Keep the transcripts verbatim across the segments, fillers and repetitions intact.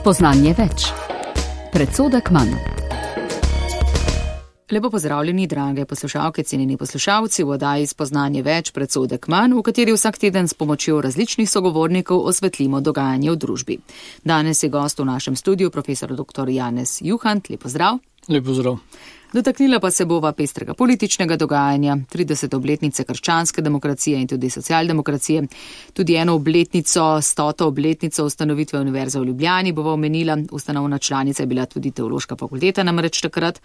Spoznanje več. Predsodek manj. Lepo pozdravljeni, drage poslušalke, cenjeni poslušalci, v oddaji Spoznanje več, predsodek manj, v kateri vsak teden s pomočjo različnih sogovornikov osvetlimo dogajanje v družbi. Danes je gost v našem studiu profesor doktor Janez Juhant. Lep pozdrav. Lep pozdrav. Dotaknila pa se bova pestrega političnega dogajanja, tridesete obletnice krščanske demokracije in tudi socialdemokracije. Tudi eno obletnico, stoto obletnico ustanovitve Univerze v Ljubljani bova omenila. Ustanovna članica je bila tudi teološka fakulteta, namreč takrat.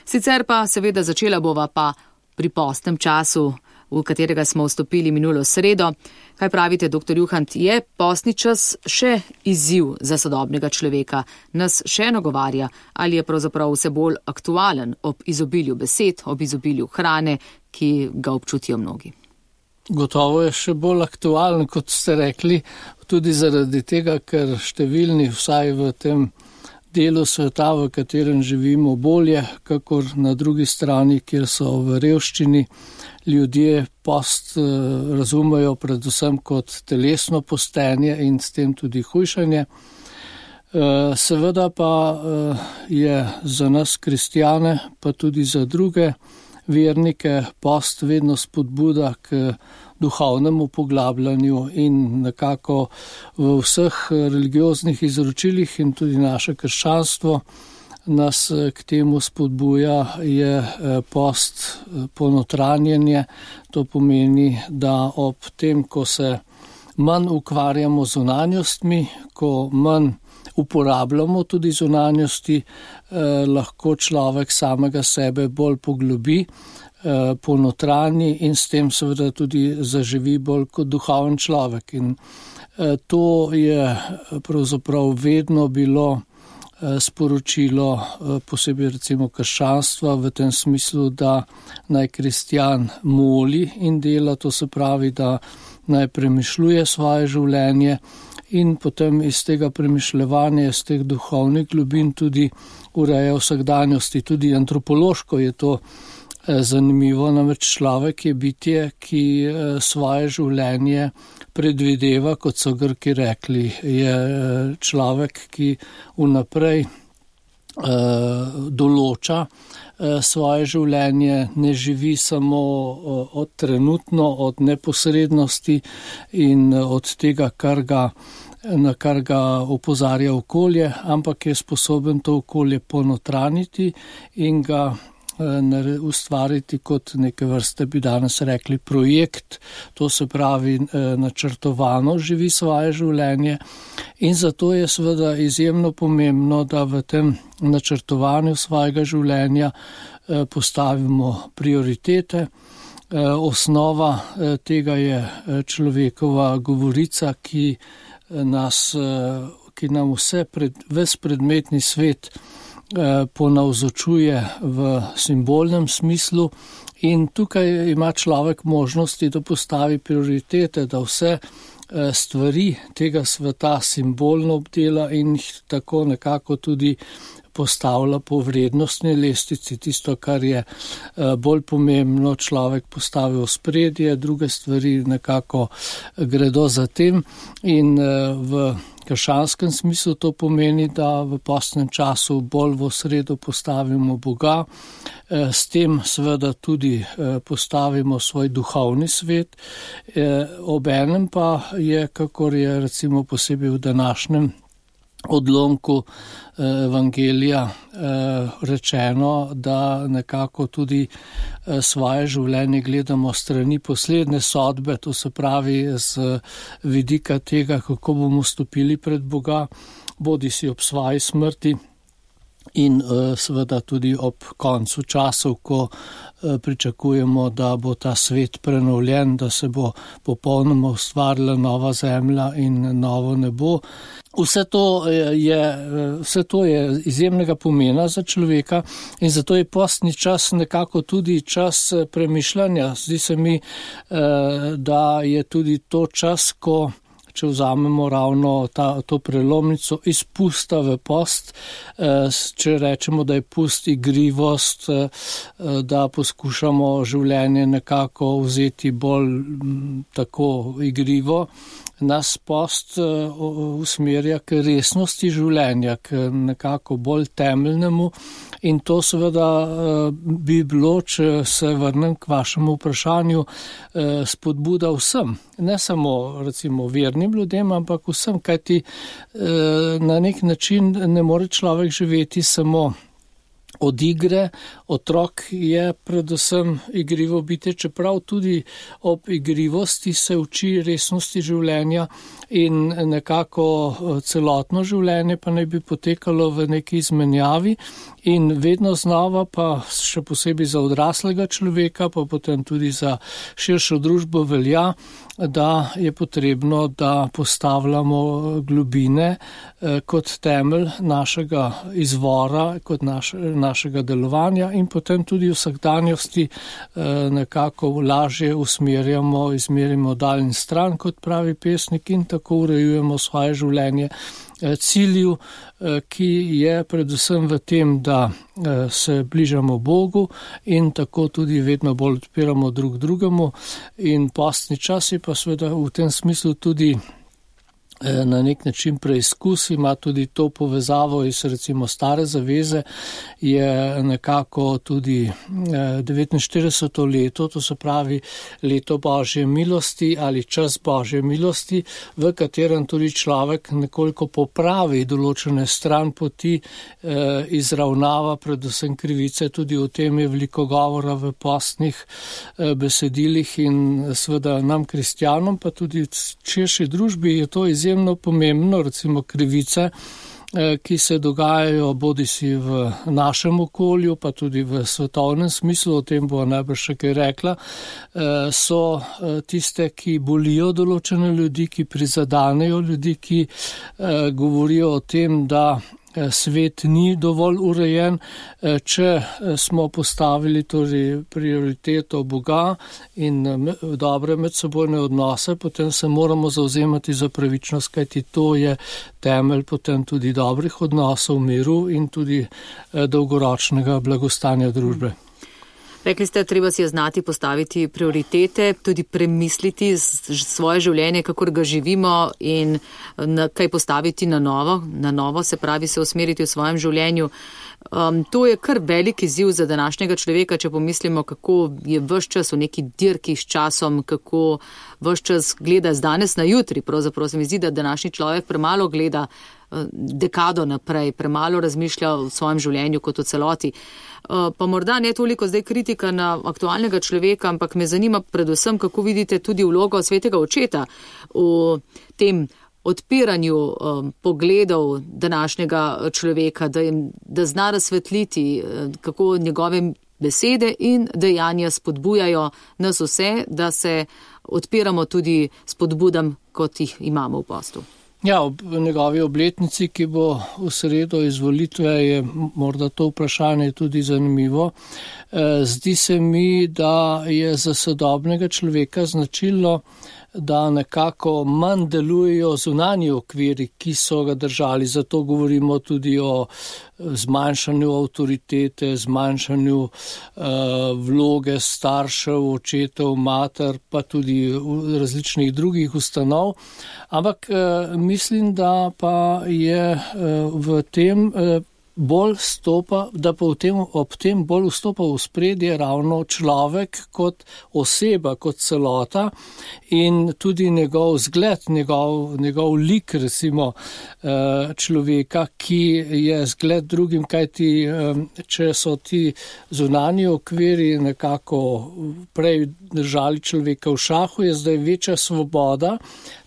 Sicer pa seveda začela bova pa pri postnem času, v katerega smo vstopili minulo sredo. Kaj pravite, doktor Juhant, je postni čas še izziv za sodobnega človeka? Nas še nagovarja, ali je pravzaprav vse bolj aktualen ob izobilju besed, ob izobilju hrane, ki ga občutijo mnogi? Gotovo je še bolj aktualen, kot ste rekli, tudi zaradi tega, ker številni vsaj v tem delu sveta, v katerem živimo, bolje, kakor na drugi strani, kjer so v revščini, ljudje post razumejo predvsem kot telesno postenje in s tem tudi hujšanje. Seveda pa je za nas kristjane, pa tudi za druge vernike, post vedno spodbuda k duhovnemu poglabljanju in nekako v vseh religioznih izročilih in tudi naše krščanstvo nas k temu spodbuja, je post ponotranjenje. To pomeni, da ob tem, ko se manj ukvarjamo z zunanjostmi, ko manj uporabljamo tudi zunanjosti, eh, lahko človek samega sebe bolj poglobi, eh, ponotranji in s tem seveda tudi zaživi bolj kot duhoven človek. In eh, to je pravzaprav vedno bilo sporočilo posebej recimo krščanstva v tem smislu, da naj kristjan moli in dela, to se pravi, da naj premišljuje svoje življenje in potem iz tega premišljevanja, iz teh duhovnih globin tudi ureja vsakdanjosti. Tudi antropološko je to zanimivo, namreč človek je bitje, ki svoje življenje predvideva, kot so Grki rekli, je človek, ki vnaprej uh, določa uh, svoje življenje, ne živi samo uh, od trenutno, od neposrednosti in uh, od tega, kar ga, na kar ga opozarja okolje, ampak je sposoben to okolje ponotraniti in ga ustvariti kot neke vrste, bi danes rekli, projekt, to se pravi načrtovano živi svoje življenje in zato je seveda izjemno pomembno, da v tem načrtovanju svojega življenja postavimo prioritete. Osnova tega je človekova govorica, ki nas, ki nam vse pred, ves predmetni svet ponavzočuje v simbolnem smislu in tukaj ima človek možnosti, da postavi prioritete, da vse stvari tega sveta simbolno obdela in jih tako nekako tudi postavlja po vrednostni lestvici. Tisto, kar je bolj pomembno, človek postavi v spredje, druge stvari nekako gredo za tem in v krščanskem smislu to pomeni, da v postnem času bolj v sredo postavimo Boga, s tem seveda tudi postavimo svoj duhovni svet, obenem pa je, kakor je recimo posebej v današnjem odlomku evangelija rečeno, da nekako tudi svoje življenje gledamo strani poslednje sodbe, to se pravi z vidika tega, kako bomo stopili pred Boga, bodi si ob svoji smrti in seveda tudi ob koncu časov, ko pričakujemo, da bo ta svet prenovljen, da se bo popolnoma ustvarila nova zemlja in novo nebo. Vse to je, vse to je izjemnega pomena za človeka in zato je postni čas nekako tudi čas premišljanja. Zdi se mi, da je tudi to čas, ko če vzamemo ravno ta, to prelomnico izpusta v post, če rečemo, da je pust igrivost, da poskušamo življenje nekako vzeti bolj tako igrivo, nas post usmerja k resnosti življenja, k nekako bolj temeljnemu in to seveda bi bilo, če se vrnem k vašemu vprašanju, spodbuda vsem, ne samo recimo vernim ljudem, ampak vsem, kajti na nek način ne more človek živeti samo od igre. Otrok je predvsem igrivo bitje, čeprav tudi ob igrivosti se uči resnosti življenja in nekako celotno življenje pa naj bi potekalo v neki izmenjavi in vedno znova pa še posebej za odraslega človeka, pa potem tudi za širšo družbo velja, da je potrebno, da postavljamo globine kot temelj našega izvora, kot naš, našega delovanja in potem tudi v vsakdanjosti nekako lažje usmerjamo, izmerimo daljn stran, kot pravi pesnik, in tako urejujemo svoje življenje cilju, ki je predvsem v tem, da se bližamo Bogu in tako tudi vedno bolj odpiramo drug drugemu in postni čas je pa seveda v tem smislu tudi na nek način preizkus, ima tudi to povezavo iz recimo stare zaveze, je nekako tudi devetinštirideseto leto, to se pravi leto Božje milosti ali čas Božje milosti, v katerem tudi človek nekoliko popravi določene stran poti, izravnava predvsem krivice, tudi o tem je veliko govora v postnih besedilih in seveda nam kristjanom, pa tudi v širši družbi je to izjemno pomembno, recimo krivice, ki se dogajajo bodisi v našem okolju, pa tudi v svetovnem smislu, o tem bo najbrž še kaj rekla, so tiste, ki bolijo določene ljudi, ki prizadanejo ljudi, ki govorijo o tem, da svet ni dovolj urejen, če smo postavili torej prioriteto Boga in dobre medsebojne odnose, potem se moramo zavzemati za pravičnost, kajti to je temelj potem tudi dobrih odnosov, miru in tudi dolgoročnega blagostanja družbe. Rekli ste, treba si je znati postaviti prioritete, tudi premisliti svoje življenje, kakor ga živimo in na, kaj postaviti na novo, na novo, se pravi se usmeriti v svojem življenju. Um, to je kar velik izziv za današnjega človeka, če pomislimo, kako je ves čas v neki dirki s časom, kako ves čas gleda z danes na jutri. Pravzaprav se mi zdi, da današnji človek premalo gleda uh, dekado naprej, premalo razmišlja o svojem življenju kot o celoti. Uh, pa morda ne toliko zdaj kritika na aktualnega človeka, ampak me zanima predvsem, kako vidite tudi vlogo svetega očeta v tem odpiranju um, pogledov današnjega človeka, da, jim, da zna razsvetliti, kako njegove besede in dejanja spodbujajo nas vse, da se odpiramo tudi spodbudam, kot jih imamo v postu. Ja, ob njegovi obletnici, ki bo v sredo izvolitve, je morda to vprašanje tudi zanimivo. Zdi se mi, da je za sodobnega človeka značilno, da nekako manj delujejo zunanji okviri, ki so ga držali. Zato govorimo tudi o zmanjšanju avtoritete, zmanjšanju uh, vloge staršev, očetov, mater, pa tudi različnih drugih ustanov. Ampak uh, mislim, da pa je uh, v tem uh, bolj stopa, da pa v tem, ob tem bolj vstopa v spredje ravno človek kot oseba, kot celota in tudi njegov zgled, njegov, njegov lik, recimo človeka, ki je zgled drugim, kajti če so ti zunanji okviri nekako prej držali človeka v šahu, je zdaj večja svoboda.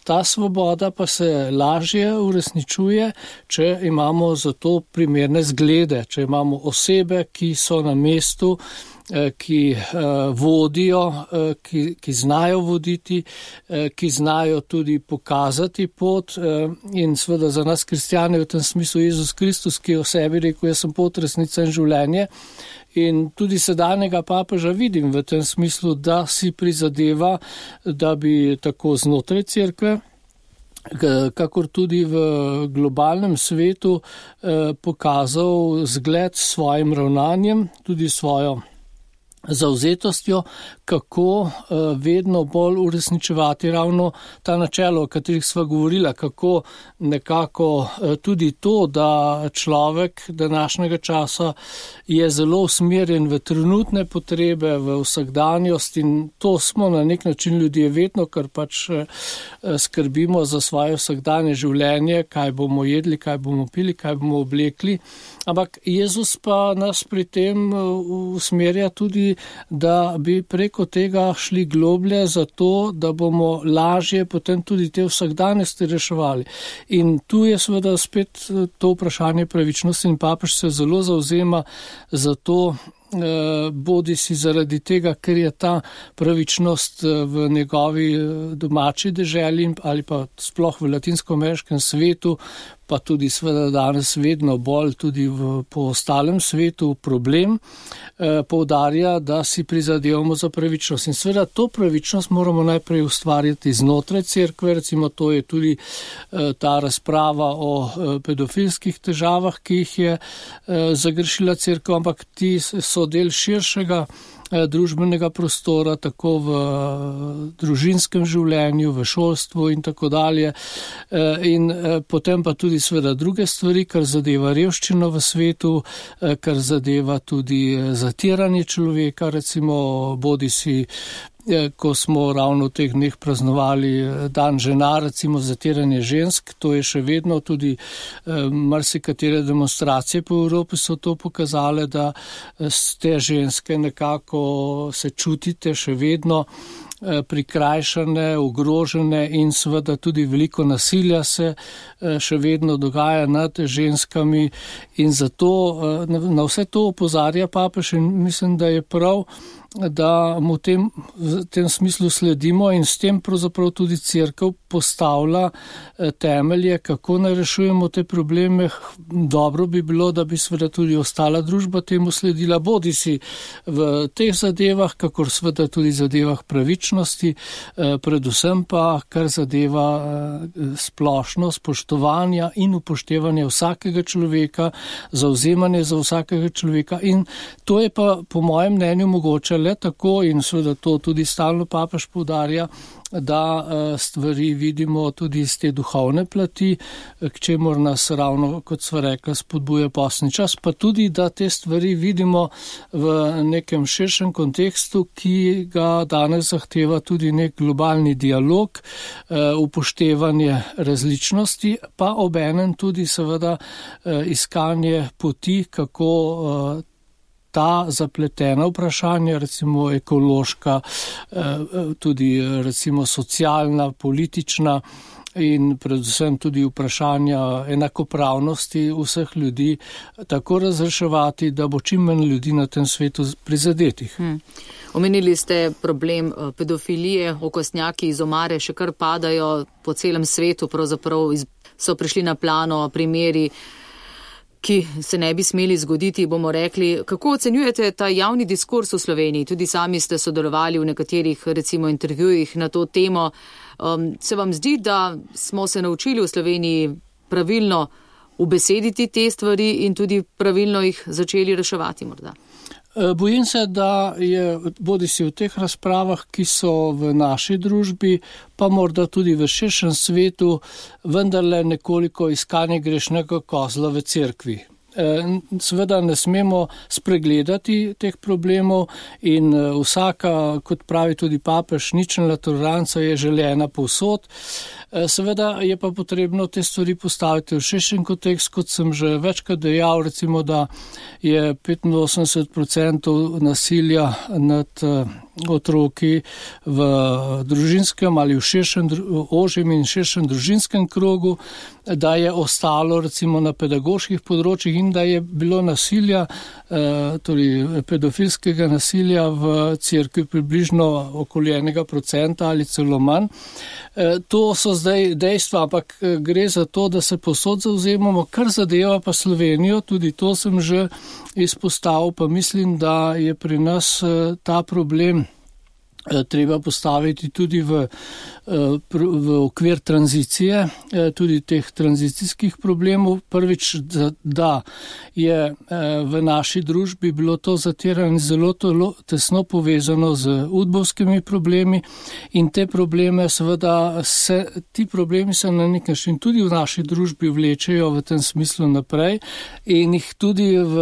Ta svoboda pa se lažje uresničuje, če imamo za to primerne zglede, če imamo osebe, ki so na mestu, ki vodijo, ki, ki znajo voditi, ki znajo tudi pokazati pot in seveda za nas kristjane v tem smislu Jezus Kristus, ki je o sebi rekel, jaz sem pot, resnica in življenje. In tudi sedanjega papeža vidim v tem smislu, da si prizadeva, da bi tako znotraj cerkve, kakor tudi v globalnem svetu pokazal zgled s svojim ravnanjem, tudi svojo zavzetostjo, kako vedno bolj uresničevati ravno ta načelo, o katerih sva govorila, kako nekako tudi to, da človek današnjega časa je zelo usmerjen v trenutne potrebe, v vsakdanjost in to smo na nek način ljudje vedno, ker pač skrbimo za svoje vsakdanje življenje, kaj bomo jedli, kaj bomo pili, kaj bomo oblekli. Ampak Jezus pa nas pri tem usmerja tudi, da bi preko tega šli globlje zato, da bomo lažje potem tudi te vsakdanjosti reševali. In tu je seveda spet to vprašanje pravičnosti in papež se zelo zavzema za to, bodi si zaradi tega, ker je ta pravičnost v njegovi domači deželi ali pa sploh v latinsko-ameriškem svetu, pa tudi seveda danes vedno bolj tudi v, po ostalem svetu problem, eh, poudarja, da si prizadevamo za pravičnost. In seveda to pravičnost moramo najprej ustvarjati znotraj cerkve, recimo to je tudi eh, ta razprava o eh, pedofilskih težavah, ki jih je eh, zagrešila cerkev, ampak ti so del širšega družbenega prostora, tako v družinskem življenju, v šolstvu in tako dalje. In potem pa tudi seveda druge stvari, kar zadeva revščino v svetu, kar zadeva tudi zatiranje človeka, recimo bodi si ko smo ravno v teh dneh praznovali dan žena, recimo zatiranje žensk, to je še vedno tudi eh, marsikatere demonstracije po Evropi so to pokazale, da ste ženske nekako se čutite še vedno eh, prikrajšane, ogrožene in seveda tudi veliko nasilja se eh, še vedno dogaja nad ženskami in zato eh, na, na vse to opozarja papež in mislim, da je prav, da mu tem, v tem smislu sledimo in s tem pravzaprav tudi cerkev postavlja temelje, kako ne rešujemo te probleme. Dobro bi bilo, da bi seveda tudi ostala družba temu sledila, bodi si v teh zadevah, kakor seveda tudi zadevah pravičnosti, predvsem pa, kar zadeva splošno spoštovanja in upoštevanje vsakega človeka, zavzemanje za vsakega človeka in to je pa po mojem mnenju mogoče le tako in seveda to tudi stalno papež poudarja, da stvari vidimo tudi iz te duhovne plati, k čemur nas ravno, kot sva rekla, spodbuja postni čas, pa tudi, da te stvari vidimo v nekem širšem kontekstu, ki ga danes zahteva tudi nek globalni dialog, upoštevanje različnosti, pa obenem tudi seveda iskanje poti, kako ta zapletena vprašanja, recimo ekološka, tudi recimo socialna, politična in predvsem tudi vprašanja enakopravnosti vseh ljudi tako razreševati, da bo čim manj ljudi na tem svetu prizadetih. Hmm. Omenili ste problem pedofilije, okostnjaki iz omare še kar padajo po celem svetu, pravzaprav so prišli na plano primeri, ki se ne bi smeli zgoditi, bomo rekli. Kako ocenjujete ta javni diskurs v Sloveniji? Tudi sami ste sodelovali v nekaterih, recimo, intervjujih na to temo. Um, se vam zdi, da smo se naučili v Sloveniji pravilno ubesediti te stvari in tudi pravilno jih začeli reševati morda? Bojim se, da je bodi si v teh razpravah, ki so v naši družbi, pa morda tudi v širšem svetu, vendarle nekoliko iskanje grešnega kozla v cerkvi. Seveda ne smemo spregledati teh problemov in vsaka, kot pravi tudi papež, ničelna toleranca je želena povsod. Seveda je pa potrebno te stvari postaviti v širšen kontekst, kot sem že večkrat dejal, recimo, da je petinosemdeset odstotkov nasilja nad otroki v družinskem ali v širšem, ožjem in širšem družinskem krogu, da je ostalo recimo na pedagoških področjih in da je bilo nasilja, torej pedofilskega nasilja v cerkvi približno okoli enega procenta ali celo manj. To so zdaj dejstva, ampak gre za to, da se posod zavzemamo, kar zadeva pa Slovenijo, tudi to sem že izpostavil, pa mislim, da je pri nas ta problem treba postaviti tudi v v okvir tranzicije, tudi teh tranzicijskih problemov. Prvič, da je v naši družbi bilo to zatiranje zelo tesno povezano z udbovskimi problemi in te probleme seveda se, ti problemi se na nek način tudi v naši družbi vlečejo v tem smislu naprej in jih tudi v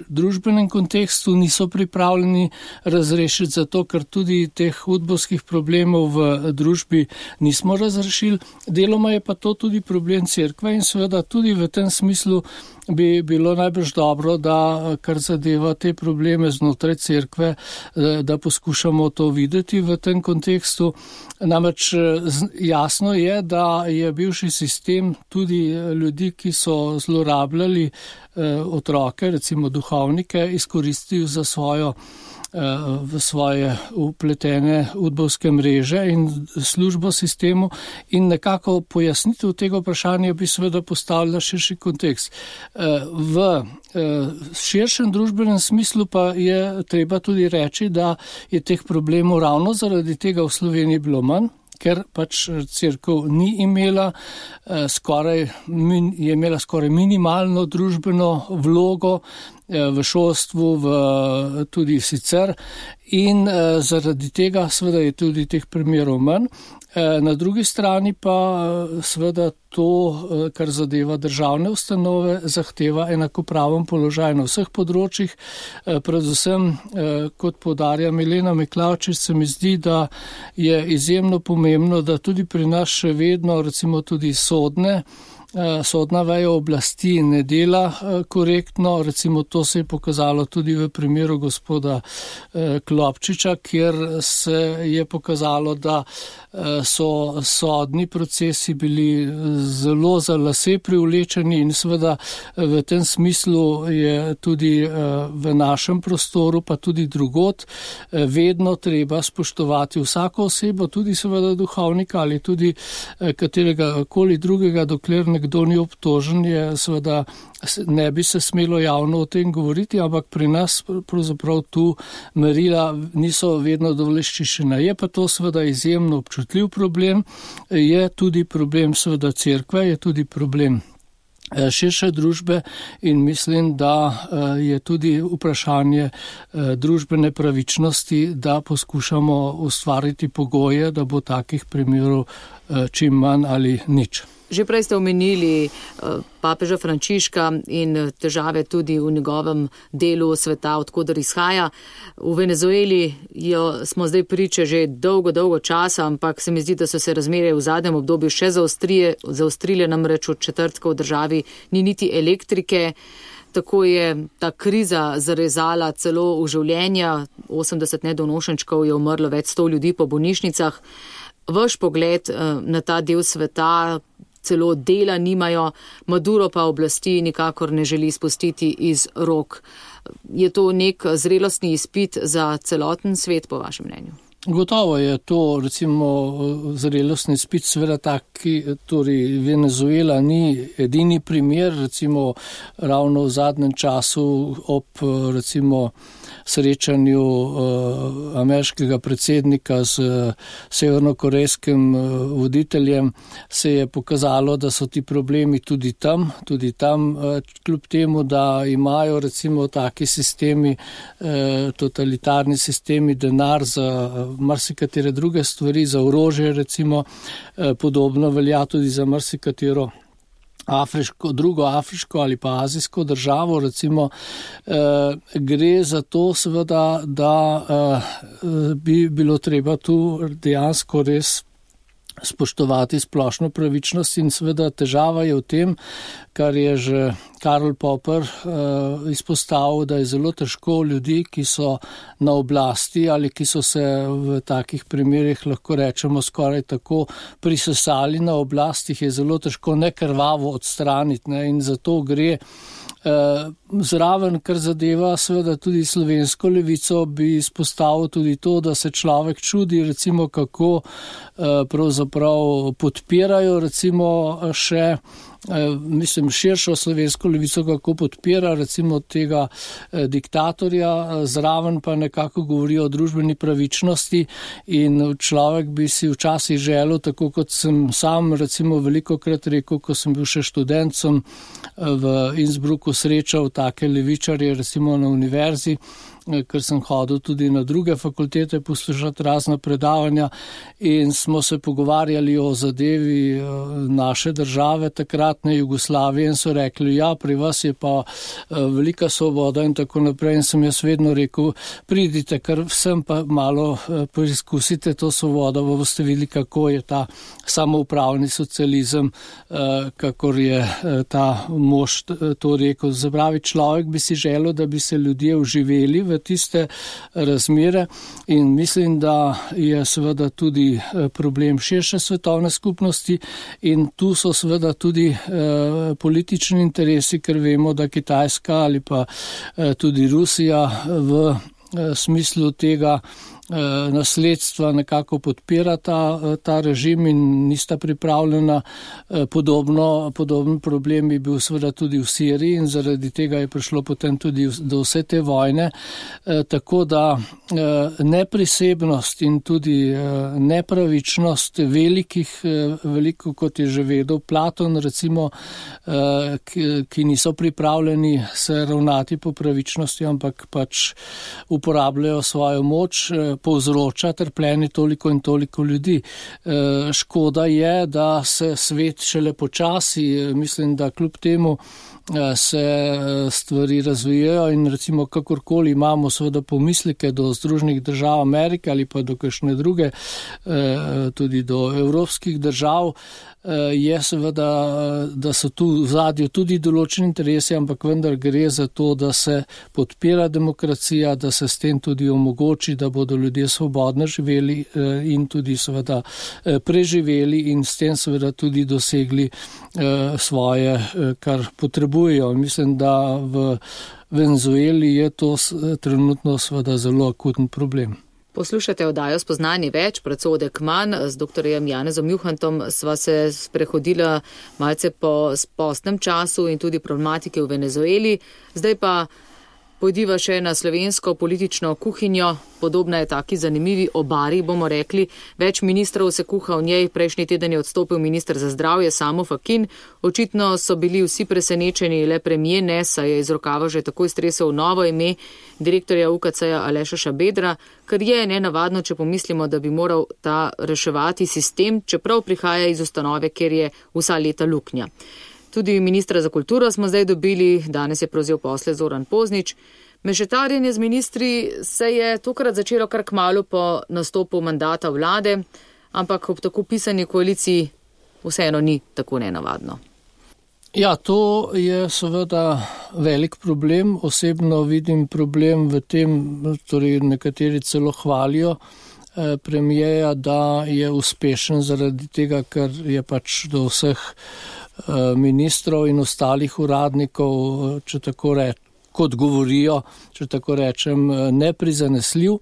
družbenem kontekstu niso pripravljeni razrešiti, zato ker tudi teh udbovskih problemov v družbi nismo razrešili. Deloma je pa to tudi problem cerkve in seveda tudi v tem smislu bi bilo najbrž dobro, da kar zadeva te probleme znotraj cerkve, da poskušamo to videti v tem kontekstu. Namreč jasno je, da je bivši sistem tudi ljudi, ki so zlorabljali otroke, recimo duhovnike, izkoristil za svojo v svoje upletene udbovske mreže in službo sistemu in nekako pojasnitev tega vprašanja bi seveda postavila širši kontekst. V širšem družbenem smislu pa je treba tudi reči, da je teh problemov ravno zaradi tega v Sloveniji bilo manj, ker pač cerkev ni imela skoraj, je imela skoraj minimalno družbeno vlogo v šolstvu, v, tudi sicer in zaradi tega seveda je tudi teh primerov manj. Na drugi strani pa seveda to, kar zadeva državne ustanove, zahteva enakopraven položaj na vseh področjih. Predvsem, kot poudarja Milena Miklavčič, se mi zdi, da je izjemno pomembno, da tudi pri nas še vedno recimo tudi sodne sodna veja oblasti ne dela korektno, recimo to se je pokazalo tudi v primeru gospoda Klopčiča, kjer se je pokazalo, da so sodni procesi bili zelo za lase privlečeni in seveda v tem smislu je tudi v našem prostoru, pa tudi drugod, vedno treba spoštovati vsako osebo, tudi seveda duhovnika ali tudi katerega koli drugega, dokler ne kdo ni obtožen, je seveda ne bi se smelo javno o tem govoriti, ampak pri nas pravzaprav tu merila niso vedno dovoleščišena. Je pa to seveda izjemno občutljiv problem, je tudi problem seveda cerkve, je tudi problem širše družbe in mislim, da je tudi vprašanje družbene pravičnosti, da poskušamo ustvariti pogoje, da bo takih primerov čim manj ali nič. Že prej ste omenili papeža Frančiška in težave tudi v njegovem delu sveta, odkudar izhaja. V Venezueli jo smo zdaj priče že dolgo, dolgo časa, ampak se mi zdi, da so se razmere v zadnjem obdobju še zaostrile, namreč od četrtka v državi ni niti elektrike. Tako je ta kriza zarezala celo v življenja. osemdeset nedonošenčkov je umrlo, več sto ljudi po bolnišnicah. Vaš pogled na ta del sveta, celo dela nimajo, Maduro pa oblasti nikakor ne želi spustiti iz rok. Je to nek zrelostni izpit za celoten svet, po vašem mnenju? Gotovo je to, recimo, zrelostni izpit, seveda taki, torej Venezuela ni edini primer, recimo ravno v zadnjem času ob, recimo, srečanju uh, ameriškega predsednika z uh, severnokorejskim uh, voditeljem se je pokazalo, da so ti problemi tudi tam, tudi tam, uh, kljub temu, da imajo recimo taki sistemi, uh, totalitarni sistemi, denar za uh, marsikatere druge stvari, za orožje recimo, uh, podobno velja tudi za marsikatero Afriško, drugo afriško ali pa azijsko državo, recimo, eh, gre za to seveda, da eh, bi bilo treba tu dejansko res spoštovati splošno pravičnost in seveda težava je v tem, kar je že Karl Popper uh, izpostavil, da je zelo težko ljudi, ki so na oblasti ali ki so se v takih primerih, lahko rečemo, skoraj tako prisesali na oblastih, je zelo težko nekrvavo odstraniti, ne, in zato gre. Uh, Zraven, kar zadeva seveda tudi slovensko levico, bi izpostavil tudi to, da se človek čudi, recimo kako pravzaprav podpirajo recimo še mislim širšo slovensko levico, kako podpira recimo tega diktatorja, zraven pa nekako govori o družbeni pravičnosti in človek bi si včasih želel, tako kot sem sam recimo velikokrat rekel, ko sem bil še študent, sem v Innsbrucku srečal take levičarje recimo na univerzi, ker sem hodil tudi na druge fakultete poslušati razna predavanja in smo se pogovarjali o zadevi naše države, takratne Jugoslavije in so rekli, ja, pri vas je pa velika svoboda in tako naprej in sem jaz vedno rekel, pridite, ker vsem pa malo preizkusite to svobodo, pa boste videli, kako je ta samoupravni socializem, kakor je ta mož to rekel. Zapravi človek bi si želel, da bi se ljudje uživeli v tiste razmere in mislim, da je seveda tudi problem širše svetovne skupnosti in tu so seveda tudi eh, politični interesi, ker vemo, da Kitajska ali pa eh, tudi Rusija v eh, smislu tega nasledstva nekako podpira ta, ta režim in nista pripravljena. Podobno, podoben problem bi bil seveda tudi v Siriji in zaradi tega je prišlo potem tudi do vse te vojne. Tako da neprisebnost in tudi nepravičnost velikih, veliko kot je že vedel Platon recimo, ki, ki niso pripravljeni se ravnati po pravičnosti, ampak pač uporabljajo svojo moč, povzroča trpljenje toliko in toliko ljudi. Škoda je, da se svet šele počasi, mislim, da kljub temu se stvari razvijajo in recimo kakorkoli imamo seveda pomisleke do Združenih držav Amerike ali pa do kakšne druge, tudi do evropskih držav, je seveda, da so tu v zadju tudi določeni interesi, ampak vendar gre za to, da se podpira demokracija, da se s tem tudi omogoči, da bodo ljudje svobodno živeli in tudi seveda preživeli in s tem seveda tudi dosegli svoje, kar potrebujejo. Mislim, da v Venezueli je to trenutno seveda zelo akuten problem. Poslušate oddajo Spoznanje več, predsodek manj. Z doktorjem Janezom Juhantom sva se sprehodila malce po postnem času in tudi problematike v Venezueli. Zdaj pa pojdiva še na slovensko politično kuhinjo. Podobna je taki zanimivi obari, bomo rekli. Več ministrov se kuha v njej. Prejšnji teden je odstopil minister za zdravje Samo Fakin. Očitno so bili vsi presenečeni, le premier ne, saj je iz rokava že takoj stresel novo ime direktorja U K C-ja Aleša Šabedra, kar je nenavadno, če pomislimo, da bi moral ta reševati sistem, čeprav prihaja iz ustanove, kjer je vsa leta luknja. Tudi ministra za kulturo smo zdaj dobili, danes je prevzel posle Zoran Poznič. Mešetarjenje z ministri se je tokrat začelo kar kmalu po nastopu mandata vlade, ampak ob tako pisani koaliciji vseeno ni tako nenavadno. Ja, to je seveda velik problem. Osebno vidim problem v tem, torej nekateri celo hvalijo eh, premijeja, da je uspešen zaradi tega, ker je pač do vseh eh, ministrov in ostalih uradnikov, če tako rečem, kot govorijo, če tako rečem, neprizanesljiv.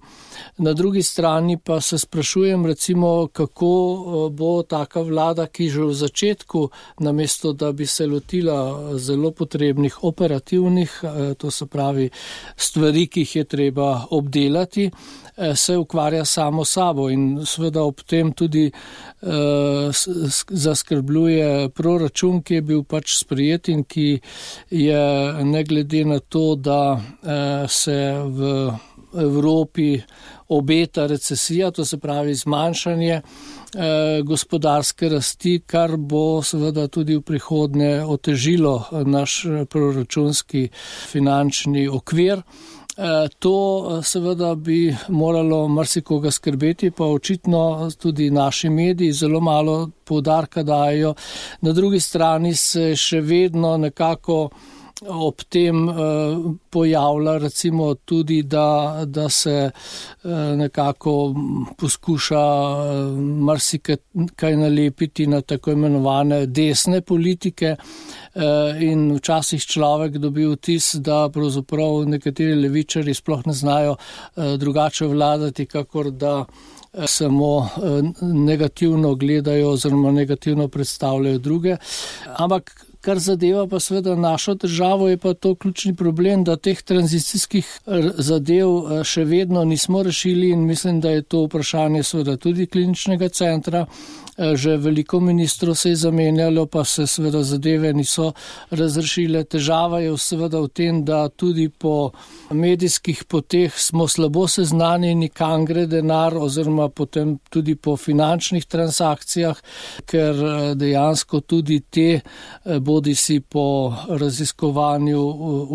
Na drugi strani pa se sprašujem recimo, kako bo taka vlada, ki že v začetku, namesto da bi se lotila zelo potrebnih operativnih, to se pravi stvari, ki jih je treba obdelati, se ukvarja samo sabo in seveda ob tem tudi eh, zaskrbljuje proračun, ki je bil pač sprejet in ki je ne glede na to, da eh, se v Evropi obeta recesija, to se pravi zmanjšanje eh, gospodarske rasti, kar bo seveda tudi v prihodnje otežilo naš proračunski finančni okvir. To seveda bi moralo marsikoga skrbeti, pa očitno tudi naši mediji zelo malo poudarka dajo. Na drugi strani se še vedno nekako ob tem pojavlja recimo tudi, da, da se nekako poskuša marsikaj nalepiti na tako imenovane desne politike in včasih človek dobi vtis, da pravzaprav nekateri levičari sploh ne znajo drugače vladati, kakor da samo negativno gledajo oziroma negativno predstavljajo druge. Ampak kar zadeva pa seveda našo državo, je pa to ključni problem, da teh tranzicijskih zadev še vedno nismo rešili in mislim, da je to vprašanje seveda tudi kliničnega centra. Že veliko ministrov se je zamenjalo, pa se seveda zadeve niso razrešile. Težava je seveda v tem, da tudi po medijskih poteh smo slabo seznanjeni, kam gre denar oziroma potem tudi po finančnih transakcijah, ker dejansko tudi te bodi si po raziskovanju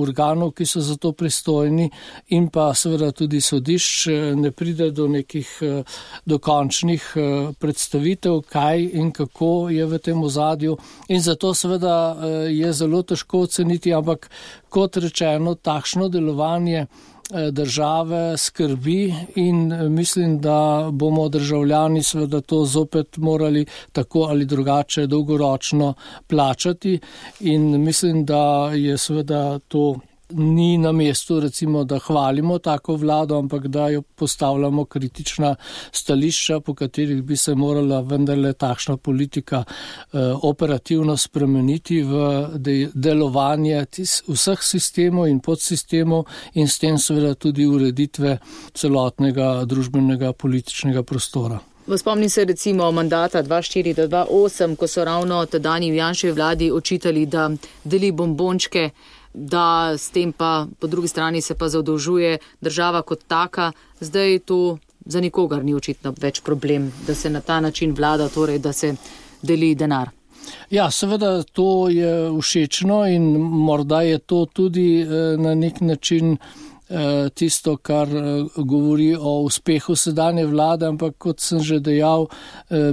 organov, ki so za to pristojni in pa seveda tudi sodišč ne pride do nekih dokončnih predstavitev, kaj in kako je v tem ozadju in zato seveda je zelo težko oceniti, ampak kot rečeno, takšno delovanje države skrbi in mislim, da bomo državljani seveda to zopet morali tako ali drugače dolgoročno plačati in mislim, da je seveda to ni na mestu recimo, da hvalimo tako vlado, ampak da jo postavljamo kritična stališča, po katerih bi se morala vendarle takšna politika eh, operativno spremeniti v de- delovanje tis- vseh sistemov in podsistemov in s tem seveda tudi ureditve celotnega družbenega političnega prostora. Spomnim se recimo mandata dva štiri do dva osem, ko so ravno tedanji Janševi vladi očitali, da deli bombončke, da s tem pa po drugi strani se pa zadolžuje država kot taka. Zdaj to za nikogar ni očitno več problem, da se na ta način vlada, torej da se deli denar. Ja, seveda to je všečno in morda je to tudi na nek način tisto, kar govori o uspehu sedanje vlade, ampak kot sem že dejal,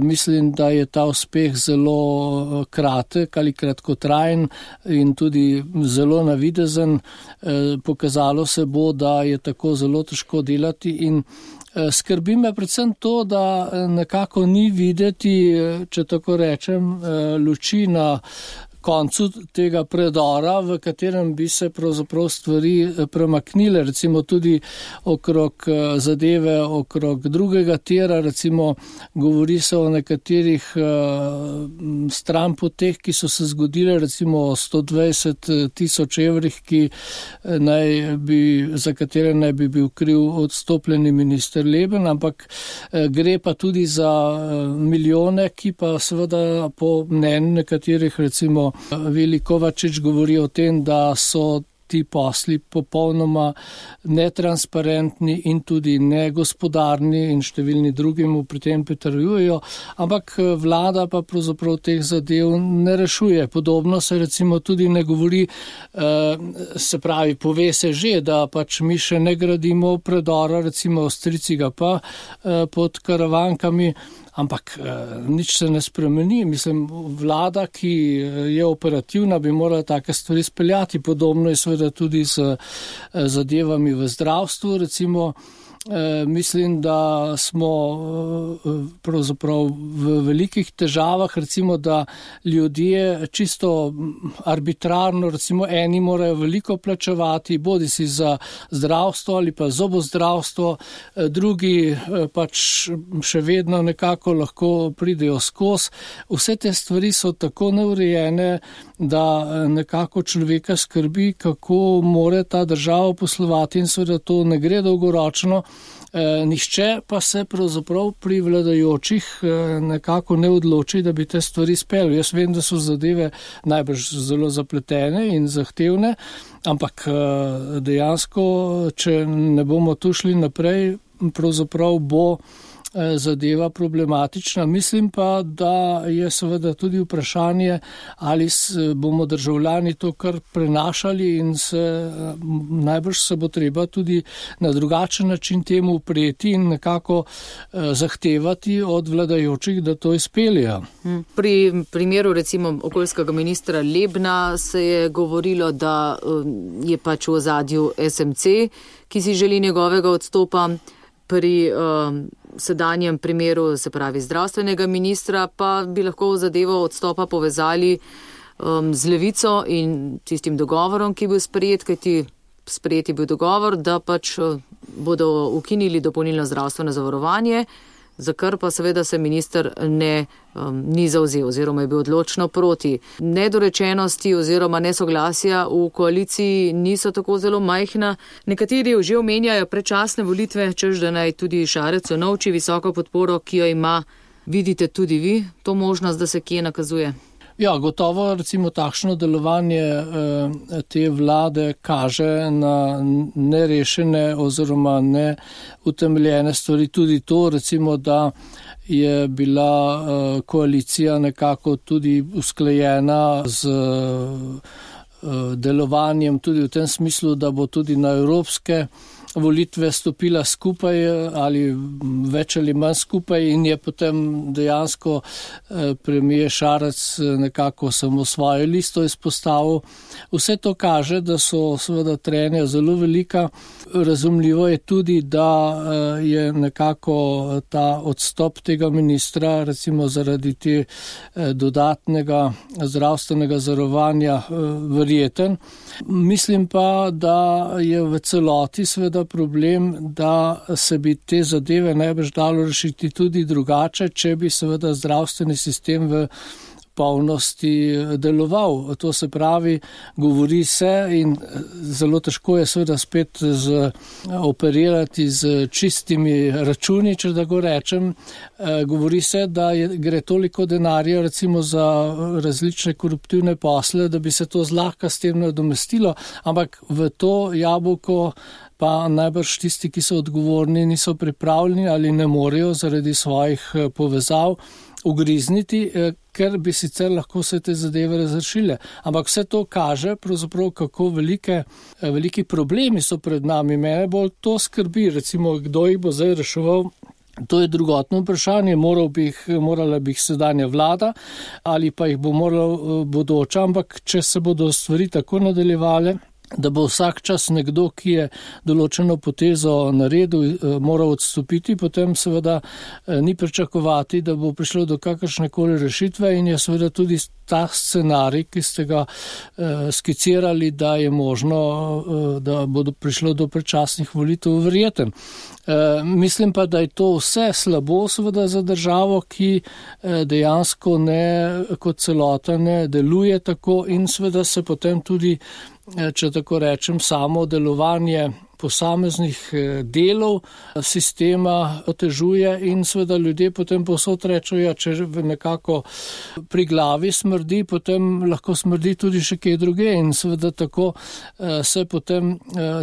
mislim, da je ta uspeh zelo kratek ali kratkotrajen in tudi zelo navidezen. Pokazalo se bo, da je tako zelo težko delati in skrbi me predvsem to, da nekako ni videti, če tako rečem, luči na koncu tega predora, v katerem bi se pravzaprav stvari premaknile, recimo tudi okrog zadeve, okrog drugega tira, recimo govori se o nekaterih stranpoteh, ki so se zgodile, recimo o sto dvajset tisoč evrih, ki naj bi, za katere naj bi bil kriv odstopljeni minister Leben, ampak gre pa tudi za milijone, ki pa seveda po mnenju nekaterih, recimo Vili Kovačič govori o tem, da so ti posli popolnoma netransparentni in tudi negospodarni in številni drugim pri tem pritrjujejo, ampak vlada pa pravzaprav teh zadev ne rešuje. Podobno se recimo tudi ne govori, se pravi, pove se že, da pač mi še ne gradimo predora, recimo Avstrijci ga pa pod Karavankami, ampak nič se ne spremeni. Mislim, vlada, ki je operativna, bi morala take stvari speljati. Podobno je seveda tudi z zadevami v zdravstvu, recimo. Mislim, da smo pravzaprav v velikih težavah, recimo, da ljudje čisto arbitrarno, recimo eni morajo veliko plačevati, bodi si za zdravstvo ali pa zobozdravstvo, drugi pač še vedno nekako lahko pridejo skozi. Vse te stvari so tako neurejene, da nekako človeka skrbi, kako more ta država poslovati in seveda to ne gre dolgoročno. Nihče pa se pravzaprav pri vladajočih nekako ne odloči, da bi te stvari speljali. Jaz vem, da so zadeve najbrž zelo zapletene in zahtevne, ampak dejansko, če ne bomo tu šli naprej, pravzaprav bo zadeva problematična. Mislim pa, da je seveda tudi vprašanje, ali bomo državljani to kar prenašali in se, najbrž se bo treba tudi na drugačen način temu upreti in nekako zahtevati od vladajočih, da to izpeljejo. Pri primeru recimo okoljskega ministra Lebna se je govorilo, da je pač v ozadju es em ce, ki si želi njegovega odstopa. Pri um, sedanjem primeru, se pravi zdravstvenega ministra, pa bi lahko zadevo odstopa povezali um, z Levico in tistim dogovorom, ki je bil sprejet, kajti sprejet je bil dogovor, da pač uh, bodo ukinili dopolnilno zdravstveno zavarovanje, za kar pa seveda se minister ne, um, ni zavzel oziroma je bil odločno proti. Nedorečenosti oziroma nesoglasja v koaliciji niso tako zelo majhna. Nekateri že omenjajo predčasne volitve, češ da naj tudi Šarec unovči visoko podporo, ki jo ima. Vidite tudi vi to možnost, da se kje nakazuje? Ja, gotovo recimo takšno delovanje eh, te vlade kaže na nerešene oziroma neutemeljene stvari. Tudi to recimo, da je bila eh, koalicija nekako tudi usklajena z eh, delovanjem tudi v tem smislu, da bo tudi na evropske volitve stopila skupaj ali več ali manj skupaj in je potem dejansko premier Šarec nekako samo svojo listo izpostavil. Vse to kaže, da so seveda trenja zelo velika. Razumljivo je tudi, da je nekako ta odstop tega ministra recimo zaradi te dodatnega zdravstvenega zavarovanja verjeten. Mislim pa, da je v celoti seveda problem, da se bi te zadeve najbrž dalo rešiti tudi drugače, če bi seveda zdravstveni sistem v polnosti deloval. To se pravi, govori se in zelo težko je seveda spet z, operirati z čistimi računi, če da go rečem. Govori se, da je, gre toliko denarja recimo za različne koruptivne posle, da bi se to zlahka s tem nadomestilo, ampak v to jabolko pa najbrž tisti, ki so odgovorni, niso pripravljeni ali ne morejo zaradi svojih povezav ugrizniti, ker bi sicer lahko vse te zadeve razrešile. Ampak vse to kaže, pravzaprav, kako velike, veliki problemi so pred nami. Mene bolj to skrbi, recimo, kdo jih bo zdaj reševal. To je drugotno vprašanje, moral bi jih, morala bi jih sedanja vlada ali pa jih bo morala bodoča, ampak če se bodo stvari tako nadaljevale, da bo vsak čas nekdo, ki je določeno potezo naredil, moral odstopiti, potem seveda ni pričakovati, da bo prišlo do kakršnekoli rešitve in je seveda tudi ta scenarij, ki ste ga eh, skicirali, da je možno, eh, da bodo prišlo do predčasnih volitev verjeten. Eh, mislim pa, da je to vse slabo seveda za državo, ki eh, dejansko ne kot celota ne deluje tako in seveda se potem tudi, če tako rečem, samo delovanje posameznih delov sistema otežuje in seveda ljudje potem povsod rečejo, ja, če nekako pri glavi smrdi, potem lahko smrdi tudi še kje druge in seveda tako se potem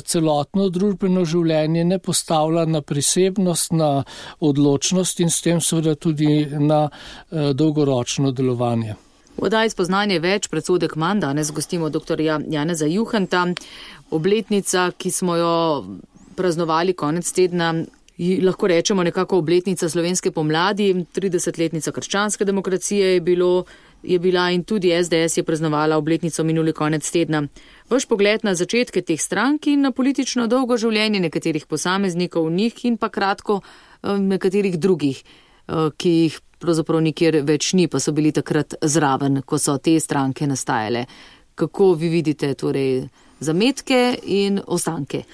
celotno družbeno življenje ne postavlja na prisebnost, na odločnost in s tem seveda tudi na dolgoročno delovanje. V oddaji Spoznanje več, predsodek manj, danes gostimo doktorja Janeza Juhanta. Obletnica, ki smo jo praznovali konec tedna, lahko rečemo nekako obletnica slovenske pomladi, tridesetletnica krščanske demokracije je, bilo, je bila in tudi es de es je praznovala obletnico minuli konec tedna. Vaš pogled na začetke teh strank in na politično dolgo življenje nekaterih posameznikov v njih in pa kratko nekaterih drugih, ki jih pravzaprav nikjer več ni, pa so bili takrat zraven, ko so te stranke nastajale. Kako vi vidite torej zametke in ostanke?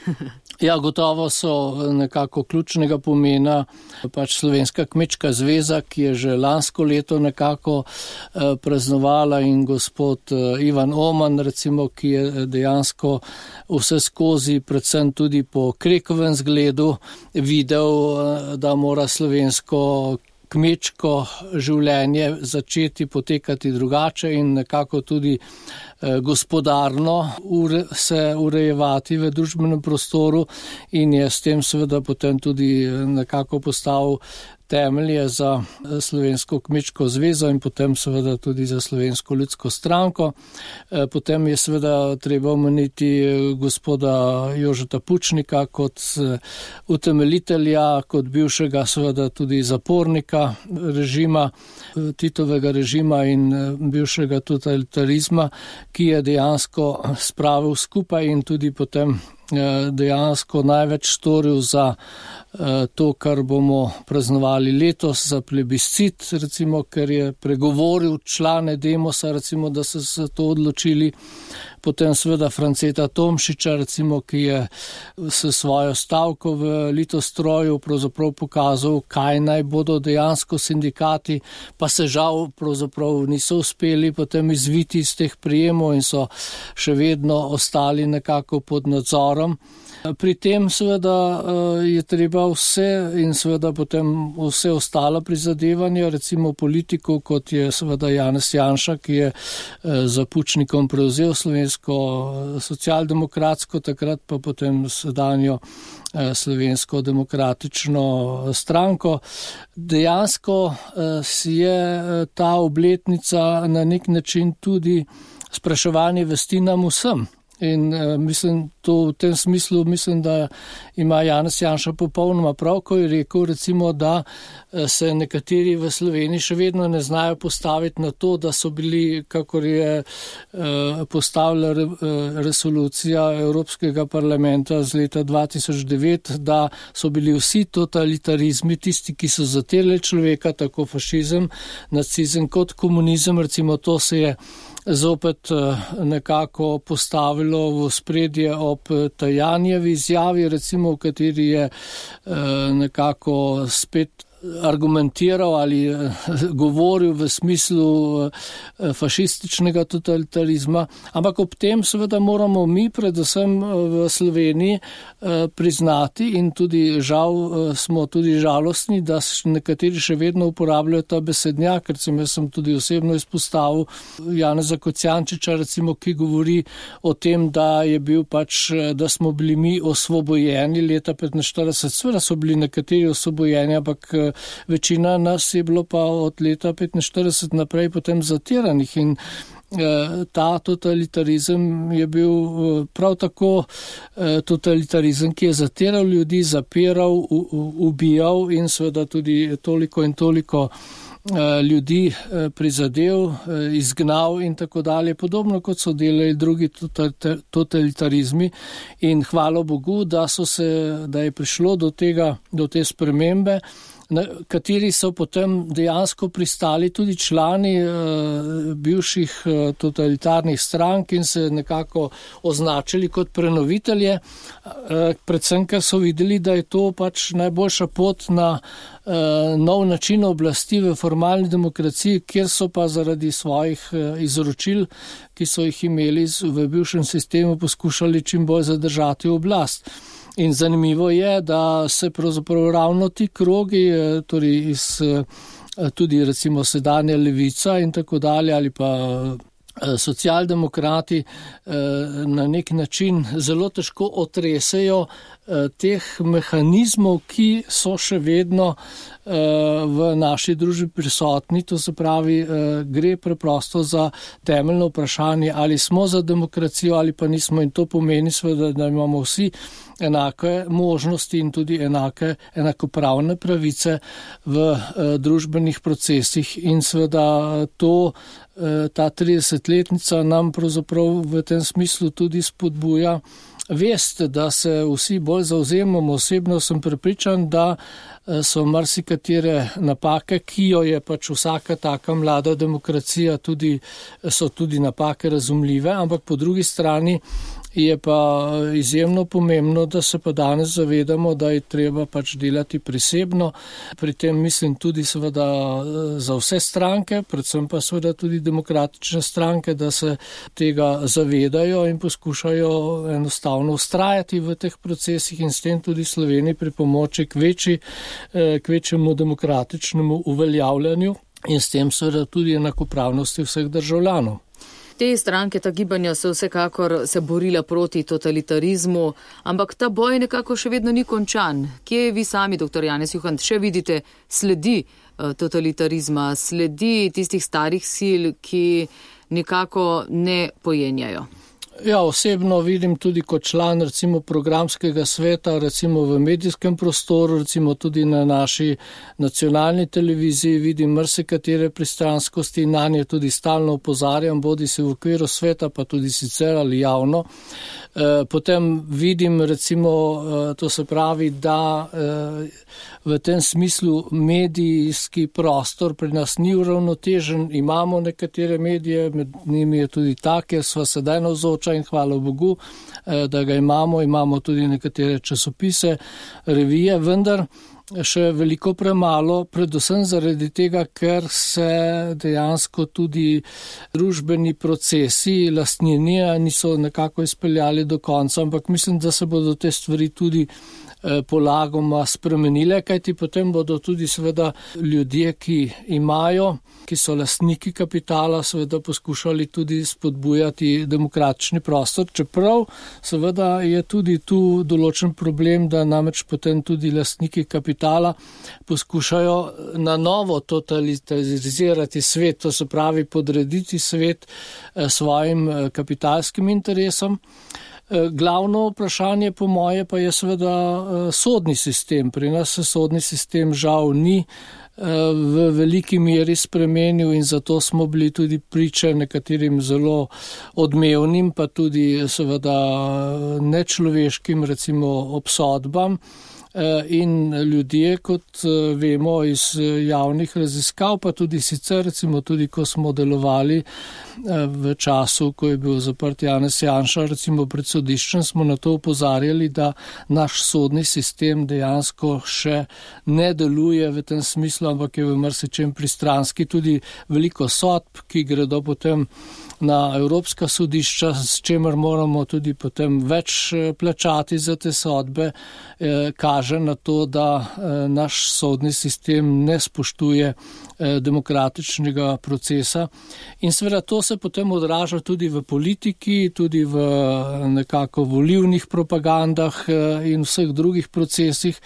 Ja, gotovo so nekako ključnega pomena pač Slovenska kmečka zveza, ki je že lansko leto nekako eh, praznovala in gospod eh, Ivan Oman, recimo, ki je dejansko vse skozi, predvsem tudi po Krekovem zgledu, videl, eh, da mora slovensko kmečko življenje začeti potekati drugače in nekako tudi eh, gospodarno ure, se urejevati v družbenem prostoru in je s tem seveda potem tudi nekako postavil temelje za Slovensko kmečko zvezo in potem seveda tudi za Slovensko ljudsko stranko. Potem je seveda treba omeniti gospoda Jožeta Pučnika kot utemeljitelja, kot bivšega seveda tudi zapornika režima, Titovega režima in bivšega totalitarizma, ki je dejansko spravil skupaj in tudi potem dejansko največ storil za to, kar bomo praznovali letos, za plebiscit, recimo, ker je pregovoril člane Demosa, recimo, da so se to odločili. Potem seveda Franceta Tomšiča, recimo, ki je s svojo stavko v Litostroju pravzaprav pokazal, kaj naj bodo dejansko sindikati, pa se žal pravzaprav niso uspeli potem izviti iz teh prijemov in so še vedno ostali nekako pod nadzorom. Pri tem seveda je treba vse in seveda potem vse ostalo prizadevanje, recimo politikov, kot je seveda Janez Janša, ki je za Pučnikom prevzel Slovensko socialdemokratsko, takrat pa potem sedanjo Slovensko demokratično stranko. Dejansko je ta obletnica na nek način tudi spraševanje vesti nam vsem. In uh, mislim, to v tem smislu mislim, da ima Janez Janša popolnoma prav, ko je rekel, recimo, da se nekateri v Sloveniji še vedno ne znajo postaviti na to, da so bili, kakor je uh, postavila re, uh, resolucija Evropskega parlamenta z leta dva tisoč devet, da so bili vsi totalitarizmi tisti, ki so zatirali človeka, tako fašizem, nacizem kot komunizem, recimo to se je zopet nekako postavilo v spredje ob Tajanjevi izjavi, recimo, v kateri je nekako spet argumentiral ali govoril v smislu fašističnega totalitarizma, ampak ob tem seveda moramo mi predvsem v Sloveniji priznati in tudi žal smo tudi žalostni, da nekateri še vedno uporabljajo ta besednjak, recimo jaz sem tudi osebno izpostavil Janeza Kocijančiča, recimo, ki govori o tem, da je bil pač, da smo bili mi osvobojeni leta petinštirideset, seveda so bili nekateri osvobojeni, ampak večina nas je bilo pa od leta petinštirideset naprej potem zatiranih in ta totalitarizem je bil prav tako totalitarizem, ki je zatiral ljudi, zapiral, ubijal in seveda tudi toliko in toliko ljudi prizadel, izgnal in tako dalje, podobno kot so delali drugi totalitarizmi in hvala Bogu, da so se, da je prišlo do tega, do te spremembe, na kateri so potem dejansko pristali tudi člani uh, bivših uh, totalitarnih strank in se nekako označili kot prenovitelje, uh, predvsem, ker so videli, da je to pač najboljša pot na uh, nov način oblasti v formalni demokraciji, kjer so pa zaradi svojih uh, izročil, ki so jih imeli v bivšem sistemu, poskušali čim bolj zadržati oblast. In zanimivo je, da se pravzaprav ravno ti krogi, torej iz, tudi recimo sedanja levica in tako dalje, ali pa socialdemokrati na nek način zelo težko otresejo teh mehanizmov, ki so še vedno v naši družbi prisotni, to se pravi, gre preprosto za temeljno vprašanje, ali smo za demokracijo ali pa nismo, in to pomeni seveda, da imamo vsi enake možnosti in tudi enake, enakopravne pravice v družbenih procesih in seveda to, ta tridesetletnica nam pravzaprav v tem smislu tudi spodbuja vest, da se vsi bolj zauzemamo. Osebno sem prepričan, da so marsikatere napake, ki jo je pač vsaka taka mlada demokracija, tudi, so tudi napake razumljive, ampak po drugi strani je pa izjemno pomembno, da se pa danes zavedamo, da je treba pač delati prisebno. Pri tem mislim tudi seveda za vse stranke, predvsem pa seveda tudi demokratične stranke, da se tega zavedajo in poskušajo enostavno ustrajati v teh procesih in s tem tudi Sloveniji pripomoči k večji, k večjemu demokratičnemu uveljavljanju in s tem seveda tudi enakopravnosti vseh državljanov. Te stranke, ta gibanja so vsekakor se borila proti totalitarizmu, ampak ta boj nekako še vedno ni končan. Kje vi sami, doktor Janez Juhant, še vidite sledi totalitarizma, sledi tistih starih sil, ki nekako ne pojenjajo? Ja, osebno vidim tudi kot član recimo programskega sveta, recimo v medijskem prostoru, recimo tudi na naši nacionalni televiziji vidim marsikatere pristranskosti in na nje tudi stalno opozarjam, bodi se v okviru sveta, pa tudi sicer ali javno. Potem vidim recimo, to se pravi, da v tem smislu medijski prostor pri nas ni uravnotežen, imamo nekatere medije, med njimi je tudi ta, kjer sva sedaj navzoča in hvala Bogu, da ga imamo, imamo tudi nekatere časopise, revije, vendar še veliko premalo, predvsem zaradi tega, ker se dejansko tudi družbeni procesi lastninjenja niso nekako izpeljali do konca, ampak mislim, da se bodo te stvari tudi polagoma spremenile, kajti potem bodo tudi seveda ljudje, ki imajo, ki so lastniki kapitala, seveda poskušali tudi spodbujati demokratični prostor, čeprav seveda je tudi tu določen problem, da namreč potem tudi lastniki kapitala poskušajo na novo totalizirati svet, to se pravi podrediti svet svojim kapitalskim interesom. Glavno vprašanje po moje pa je seveda sodni sistem. Pri nas se sodni sistem žal ni v veliki meri spremenil in zato smo bili tudi priče nekaterim zelo odmevnim, pa tudi seveda nečloveškim recimo obsodbam. In ljudje, kot vemo iz javnih raziskav, pa tudi sicer, recimo tudi ko smo delovali v času, ko je bil zaprt Janez Janša, recimo pred sodiščem, smo na to opozarjali, da naš sodni sistem dejansko še ne deluje v tem smislu, ampak je v marsičem pristranski, tudi veliko sodb, ki gredo potem na evropska sodišča, s čemer moramo tudi potem več plačati za te sodbe, kaže na to, da naš sodni sistem ne spoštuje demokratičnega procesa. In seveda to se potem odraža tudi v politiki, tudi v nekako volilnih propagandah in vseh drugih procesih.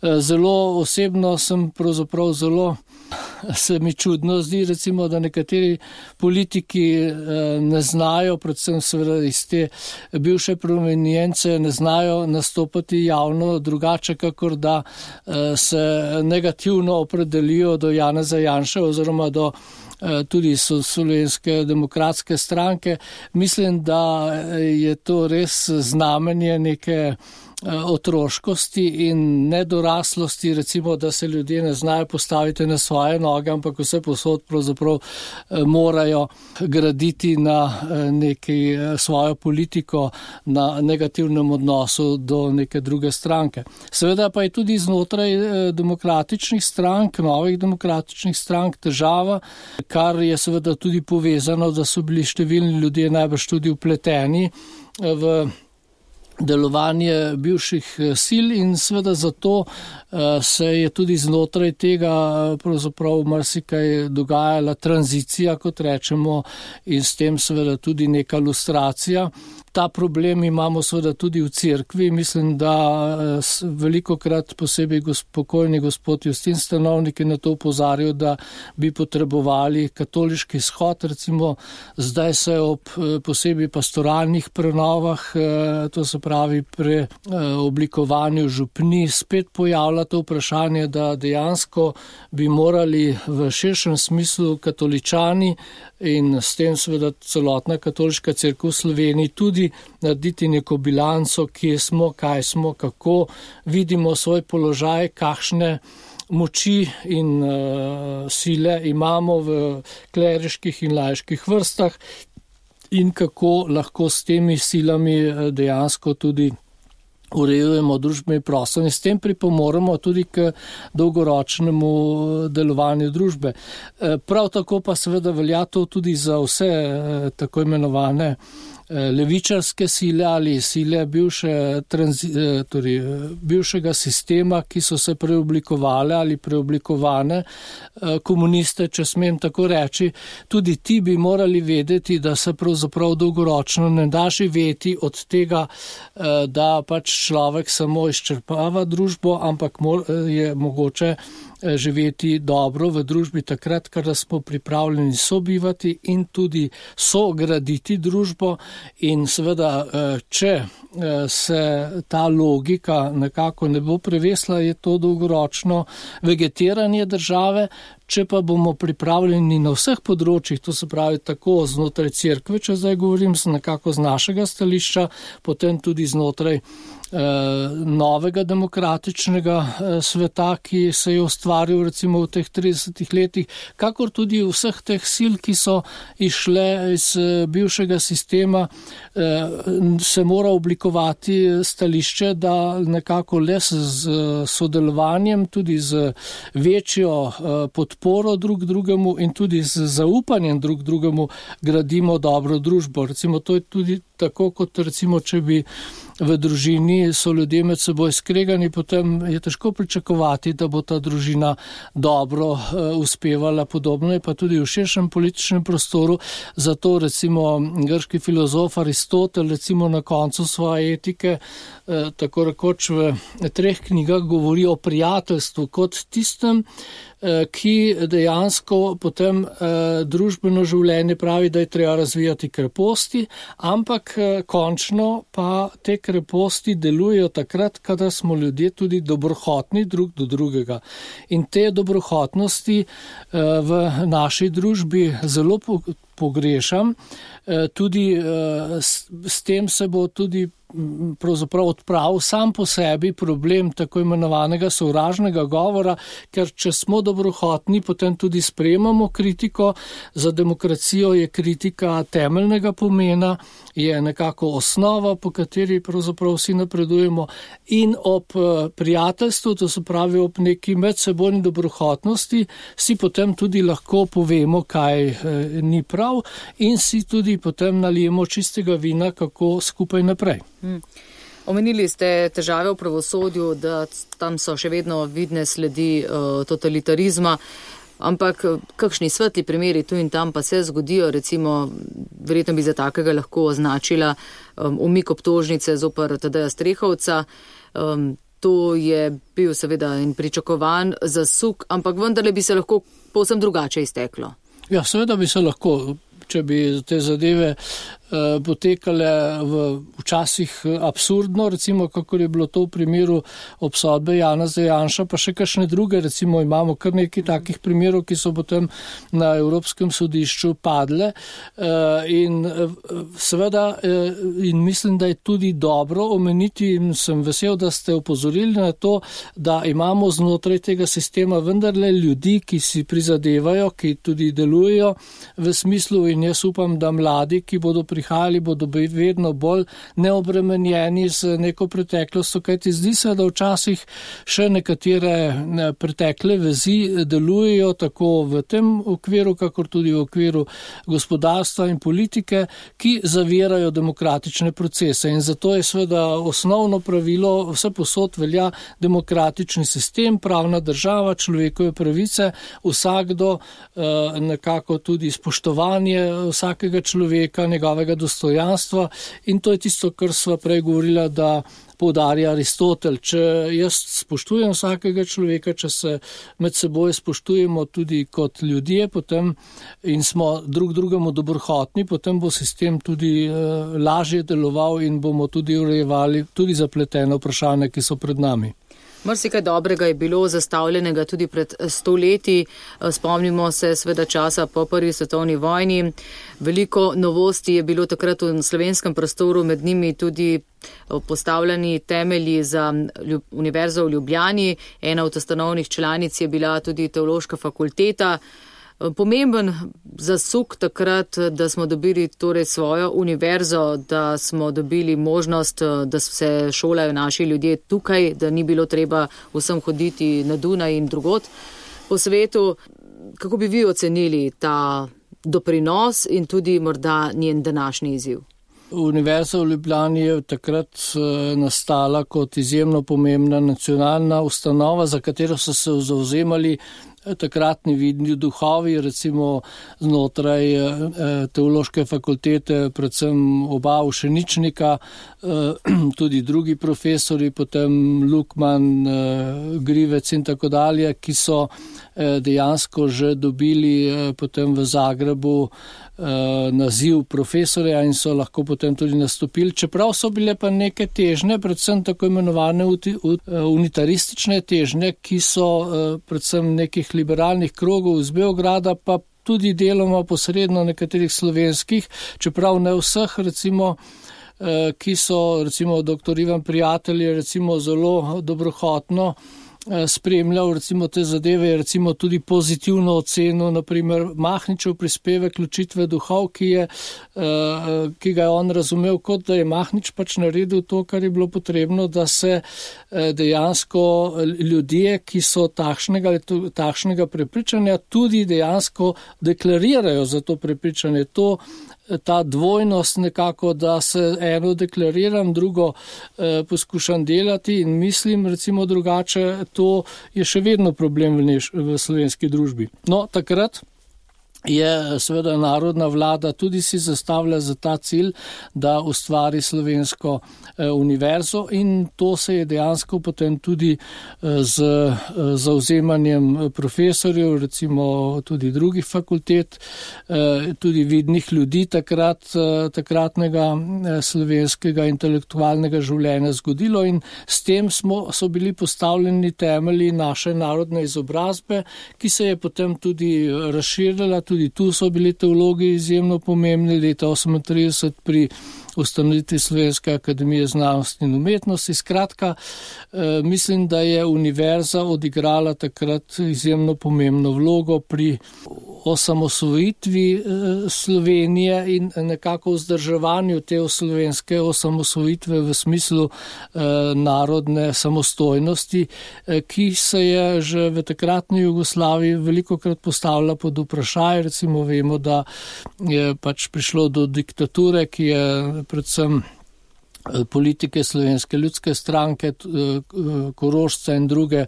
Zelo osebno sem pravzaprav zelo se mi čudno zdi, recimo, da nekateri politiki ne znajo, predvsem seveda iz te bivše prominjence, ne znajo nastopati javno drugače, kakor da se negativno opredelijo do Janeza Janše oziroma do tudi so Slovenske demokratske stranke. Mislim, da je to res znamenje neke otroškosti in nedoraslosti, recimo, da se ljudje ne znajo postaviti na svoje noge, ampak vse posod pravzaprav morajo graditi na neki svojo politiko, na negativnem odnosu do neke druge stranke. Seveda pa je tudi znotraj demokratičnih strank, novih demokratičnih strank težava, kar je seveda tudi povezano, da so bili številni ljudje najbrž tudi vpleteni v delovanje bivših sil in seveda zato se je tudi znotraj tega pravzaprav marsikaj dogajala tranzicija, kot rečemo, in s tem seveda tudi neka lustracija. Ta problem imamo seveda tudi v cerkvi. Mislim, da veliko krat posebej pokojni gospod Justin Stanovnik je na to opozarjal, da bi potrebovali katoliški shod, recimo zdaj se ob posebej pastoralnih prenovah, to se pravi pri oblikovanju župni, spet pojavlja to vprašanje, da dejansko bi morali v širšem smislu katoličani in s tem seveda celotna katoliška cerkev v Sloveniji tudi narediti neko bilanco, kje smo, kaj smo, kako vidimo svoj položaj, kakšne moči in uh, sile imamo v kleriških in laiških vrstah in kako lahko s temi silami dejansko tudi urejujemo družbeni prostor in s tem pripomoremo tudi k dolgoročnemu delovanju družbe. Prav tako pa seveda velja to tudi za vse tako imenovane levičarske sile ali sile bivše, transi, torej, bivšega sistema, ki so se preoblikovale ali preoblikovane komuniste, če smem tako reči, tudi ti bi morali vedeti, da se pravzaprav dolgoročno ne da živeti od tega, da pač človek samo izčrpava družbo, ampak je mogoče živeti dobro v družbi takrat, kada smo pripravljeni sobivati in tudi sograditi družbo in seveda, če se ta logika nekako ne bo prevesla, je to dolgoročno vegetiranje države. Če pa bomo pripravljeni na vseh področjih, to se pravi tako znotraj cerkve, če zdaj govorim nekako z našega stališča, potem tudi znotraj eh, novega demokratičnega eh, sveta, ki se je ustvaril recimo v teh tridesetih letih, kakor tudi vseh teh sil, ki so išle iz eh, bivšega sistema, eh, se mora oblikovati stališče, da nekako le s sodelovanjem, tudi z večjo eh, podporo, podporo drug drugemu in tudi z zaupanjem drug drugemu gradimo dobro družbo. Recimo to je tudi tako, kot recimo, če bi v družini so ljudje med seboj skregani, potem je težko pričakovati, da bo ta družina dobro uh, uspevala. Podobno je pa tudi v širšem političnem prostoru. Zato recimo grški filozof Aristotel recimo na koncu svoje etike uh, tako rekoč v treh knjigah govori o prijateljstvu kot tistem, uh, ki dejansko potem uh, družbeno življenje pravi, da je treba razvijati kreposti, ampak uh, končno pa te kreposti delujejo takrat, kada smo ljudje tudi dobrohotni drug do drugega. In te dobrohotnosti uh, v naši družbi zelo pogrešam. Uh, tudi uh, s, s tem se bo tudi pravzaprav odpravil sam po sebi problem tako imenovanega sovražnega govora, ker če smo dobrohotni, potem tudi sprejemamo kritiko. Za demokracijo je kritika temeljnega pomena, je nekako osnova, po kateri pravzaprav vsi napredujemo in ob prijateljstvu, to se pravi ob neki medsebojni dobrohotnosti, si potem tudi lahko povemo, kaj ni prav in si tudi potem nalijemo čistega vina, kako skupaj naprej. Hmm. Omenili ste težave v pravosodju, da tam so še vedno vidne sledi uh, totalitarizma, ampak kakšni svetli primeri tu in tam pa se zgodijo, recimo, verjetno bi za takega lahko označila um, umik obtožnice zoper Tadeja Strehovca. Um, to je bil seveda in pričakovan zasuk, ampak vendarle bi se lahko povsem drugače izteklo. Ja, seveda bi se lahko, če bi te zadeve uh, potekale v včasih absurdno, recimo kakor je bilo to v primeru obsodbe Janeza Janša, pa še kakšne druge, recimo imamo kar nekaj takih primerov, ki so potem na Evropskem sodišču padle uh, in uh, seveda uh, in mislim, da je tudi dobro omeniti in sem vesel, da ste opozorili na to, da imamo znotraj tega sistema vendarle ljudi, ki si prizadevajo, ki tudi delujejo v smislu in jaz upam, da mladi, ki bodo prihajali, bodo vedno bolj neobremenjeni z neko preteklostjo, kajti zdi se, da včasih še nekatere pretekle vezi delujejo tako v tem okviru, kakor tudi v okviru gospodarstva in politike, ki zavirajo demokratične procese. In zato je seveda osnovno pravilo, vse posod velja demokratični sistem, pravna država, človekove pravice, vsakdo nekako tudi spoštovanje vsakega človeka, njegovega dostojanstva in to je tisto, kar sva prej govorila, da poudarja Aristotel. Če jaz spoštujem vsakega človeka, če se med seboj spoštujemo tudi kot ljudje, potem in smo drug drugemu dobrohotni, potem bo sistem tudi uh, lažje deloval in bomo tudi urejevali tudi zapletene vprašanja, ki so pred nami. Marsikaj dobrega je bilo zastavljenega tudi pred sto leti. Spomnimo se sveda časa po prvi svetovni vojni. Veliko novosti je bilo takrat v slovenskem prostoru, med njimi tudi postavljeni temelji za Univerzo v Ljubljani. Ena od ustanovnih članic je bila tudi teološka fakulteta. Pomemben zasuk takrat, da smo dobili torej svojo univerzo, da smo dobili možnost, da se šolajo naši ljudje tukaj, da ni bilo treba vsem hoditi na Dunaj in drugot po svetu. Kako bi vi ocenili ta doprinos in tudi morda njen današnji izziv? Univerza v Ljubljani je takrat nastala kot izjemno pomembna nacionalna ustanova, za katero so se zavzemali takratni vidni duhovi, recimo znotraj teološke fakultete, predvsem oba ušeničnika, tudi drugi profesori, potem Lukman, Grivec in tako dalje, ki so dejansko že dobili potem v Zagrebu naziv profesorja in so lahko potem tudi nastopili. Čeprav so bile pa neke težnje, predvsem tako imenovane unitaristične težnje, ki so predvsem nekih liberalnih krogov iz Beograda, pa tudi deloma posredno nekaterih slovenskih, čeprav ne vseh, recimo, ki so, recimo, doktor Ivan Prijatelj je recimo zelo dobrohotno spremljal recimo te zadeve, recimo tudi pozitivno oceno, naprimer Mahničev prispevek Ločitve duhov, ki, je, ki ga je on razumel kot, da je Mahnič pač naredil to, kar je bilo potrebno, da se dejansko ljudje, ki so takšnega, takšnega prepričanja, tudi dejansko deklarirajo za to prepričanje. To ta dvojnost nekako, da se eno deklariram, drugo eh, poskušam delati in mislim recimo drugače, to je še vedno problem v, neš, v slovenski družbi. No, takrat je seveda narodna vlada tudi si zastavlja za ta cilj, da ustvari slovensko eh, univerzo in to se je dejansko potem tudi eh, z eh, zauzemanjem profesorjev, recimo tudi drugih fakultet, eh, tudi vidnih ljudi takrat, eh, takratnega eh, slovenskega intelektualnega življenja zgodilo in s tem smo, so bili postavljeni temelji naše narodne izobrazbe, ki se je potem tudi razširila. Tudi tu so bili teologi izjemno pomembni, leta osemintrideset pri ustanovitvi Slovenske akademije znanosti in umetnosti. Skratka, eh, mislim, da je univerza odigrala takrat izjemno pomembno vlogo pri osamosvojitvi eh, Slovenije in nekako vzdrževanju te slovenske osamosvojitve v smislu eh, narodne samostojnosti, eh, ki se je že v takratni Jugoslaviji velikokrat postavila pod vprašaj. Recimo vemo, da je pač prišlo do diktature, ki je predvsem politike Slovenske ljudske stranke, Korošca in druge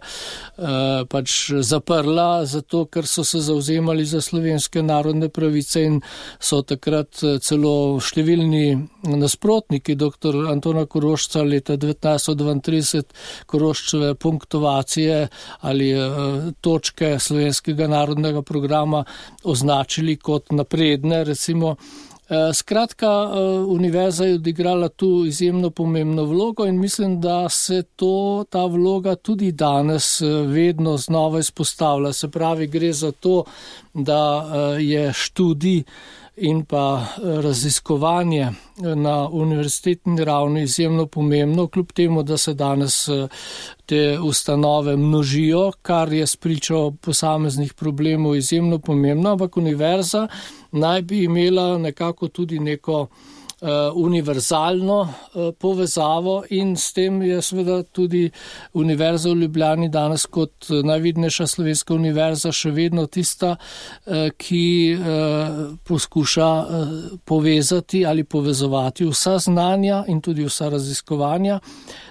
pač zaprla, zato ker so se zavzemali za slovenske narodne pravice in so takrat celo številni nasprotniki doktor Antona Korošca leta devetnajststo dvaintrideset Koroščeve punktovacije ali točke slovenskega narodnega programa označili kot napredne, recimo. Skratka, univerza je odigrala tu izjemno pomembno vlogo in mislim, da se to, ta vloga tudi danes vedno znova izpostavlja. Se pravi, gre za to, da je študij in pa raziskovanje na univerzitetni ravni izjemno pomembno, kljub temu, da se danes te ustanove množijo, kar je spričo posameznih problemov izjemno pomembno, ampak univerza naj bi imela nekako tudi neko Uh, univerzalno uh, povezavo in s tem je seveda tudi Univerza v Ljubljani danes kot najvidnejša slovenska univerza še vedno tista, uh, ki uh, poskuša uh, povezati ali povezovati vsa znanja in tudi vsa raziskovanja.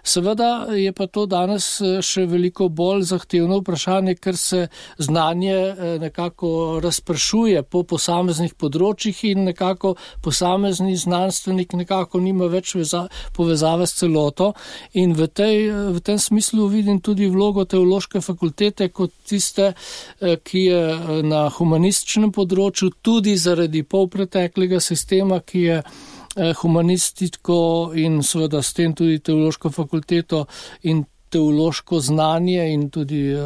Seveda je pa to danes še veliko bolj zahtevno vprašanje, ker se znanje uh, nekako razpršuje po posameznih področjih in nekako posamezni znanstveniki nekako nima več veza, povezave s celoto in v, tej, v tem smislu vidim tudi vlogo teološke fakultete kot tiste, ki je na humanističnem področju tudi zaradi polpreteklega sistema, ki je humanistiko in seveda s tem tudi teološko fakulteto in teološko znanje in tudi uh,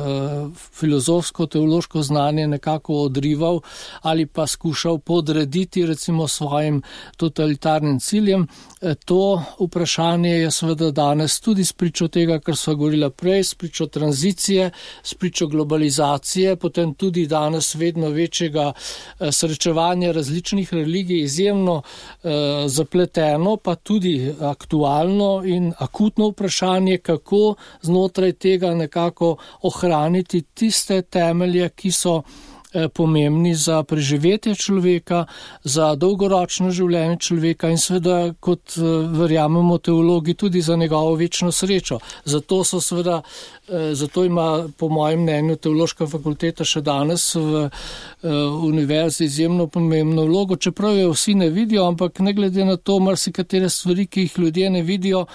filozofsko-teološko znanje nekako odrival ali pa skušal podrediti recimo svojim totalitarnim ciljem. E, to vprašanje je seveda danes tudi spričo tega, kar sva govorila prej, spričo tranzicije, spričo globalizacije, potem tudi danes vedno večjega uh, srečevanja različnih religij, izjemno uh, zapleteno, pa tudi aktualno in akutno vprašanje, kako znotraj tega nekako ohraniti tiste temelje, ki so pomembni za preživetje človeka, za dolgoročno življenje človeka in seveda, kot verjamemo teologi, tudi za njegovo večno srečo. Zato so seveda, zato ima po mojem mnenju teološka fakulteta še danes v univerzi izjemno pomembno vlogo, čeprav jo vsi ne vidijo, ampak ne glede na to, marsikatere stvari, ki jih ljudje ne vidijo,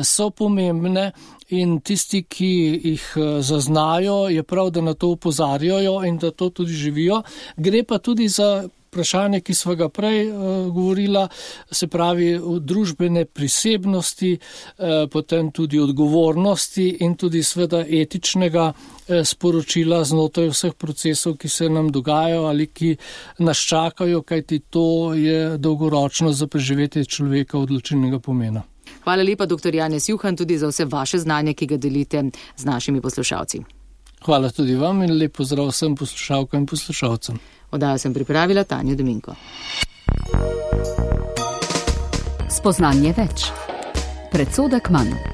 so pomembne. In tisti, ki jih zaznajo, je prav, da na to opozarjajo in da to tudi živijo. Gre pa tudi za vprašanje, ki sva ga prej uh, govorila, se pravi družbene prisebnosti, uh, potem tudi odgovornosti in tudi sveda etičnega uh, sporočila znotraj vseh procesov, ki se nam dogajajo ali ki nas čakajo, kajti to je dolgoročno za preživetje človeka odločilnega pomena. Hvala lepa, doktor Janez Juhan, tudi za vse vaše znanje, ki ga delite z našimi poslušalci. Hvala tudi vam in lep pozdrav vsem poslušalkam in poslušalcem. Oddajo sem pripravila Tanja Dominko. Spoznanje več. Predsodek manj.